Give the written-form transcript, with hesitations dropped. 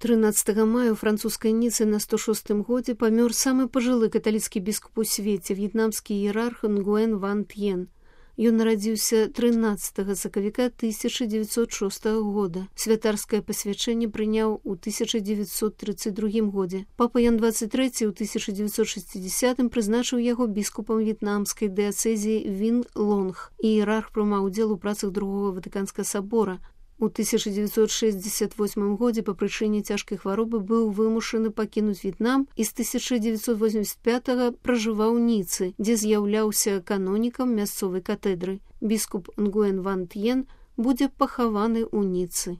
13 мая ў французскай Ніцы на 106 годзе памёр самы пажылы каталіцкі біскуп у свеце, в'етнамскі іерарх Нгуэн Ван Тьен. Ён нарадзіўся 13 сакавіка 1906 года. Святарскае пасвячэнне прыняў у 1932 годзе. Папа Ян 23 ў 1960 прызначыў яго біскупам в'етнамскай дыяцэзіі Він Лонг. Іерарх прымаў удзел у працах Другога Ватыканскага сабора. У 1968 годзе па прычыне цяжкай хваробы быў вымушаны пакінуць В'етнам і з 1985 пражываў у Ніцы, дзе з'яўляўся канонікам мясцовай катэдры. Біскуп Нгуэн Ван Тьен будзе пахаваны ў Ніцы.